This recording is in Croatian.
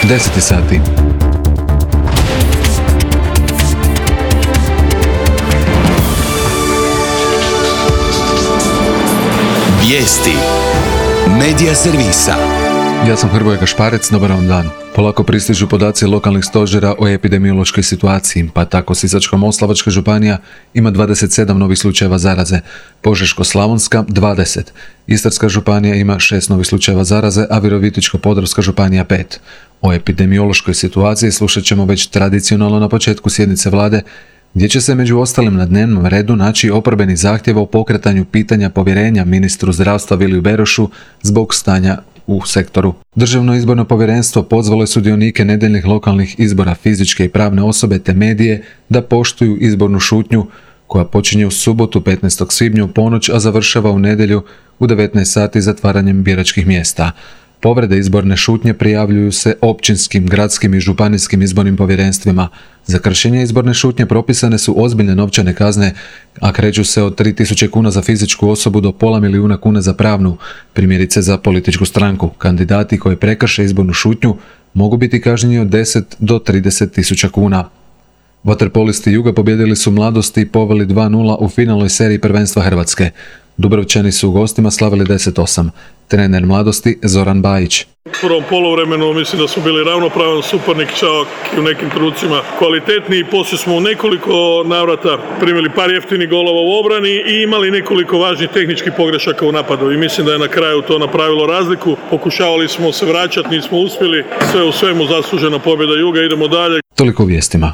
10 sati. Vijesti Medija servisa. Ja sam Hrvoje Gašparec, dobar vam dan. Polako pristižu podaci lokalnih stožera o epidemiološkoj situaciji, pa tako Sisačko-moslavačka županija ima 27 novih slučajeva zaraze, Požeško-slavonska 20, Istarska županija ima 6 novih slučajeva zaraze, a Virovitičko-podravska županija 5. O epidemiološkoj situaciji slušat ćemo već tradicionalno na početku sjednice vlade, gdje će se među ostalim na dnevnom redu naći oporbeni zahtjev o pokretanju pitanja povjerenja ministru zdravstva Viliju Berošu zbog stanja u sektoru. Državno izborno povjerenstvo pozvalo je sudionike nedjeljnih lokalnih izbora, fizičke i pravne osobe te medije da poštuju izbornu šutnju koja počinje u subotu 15. svibnja u ponoć, a završava u nedjelju u 19 sati zatvaranjem biračkih mjesta. Povrede izborne šutnje prijavljuju se općinskim, gradskim i županijskim izbornim povjerenstvima. Za kršenje izborne šutnje propisane su ozbiljne novčane kazne, a kreću se od 3.000 kuna za fizičku osobu do $500.000 kuna za pravnu, primjerice za političku stranku. Kandidati koji prekrše izbornu šutnju mogu biti kažnjeni od 10 do 30.000 kuna. Vaterpolisti Juga pobijedili su Mladosti i poveli 2:0 u finalnoj seriji prvenstva Hrvatske. Dubrovčani su u gostima slavili 10-8. Trener Mladosti Zoran Bajić. U prvom poluvremenu mislim da smo bili ravnopravan suparnik, čak i u nekim trenucima kvalitetniji. Poslije smo u nekoliko navrata primili par jeftinih golova u obrani i imali nekoliko važnih tehničkih pogrešaka u napadu. I mislim da je na kraju to napravilo razliku. Pokušavali smo se vraćati, nismo uspjeli. Sve u svemu zaslužena pobjeda Juga, idemo dalje. Toliko u vijestima.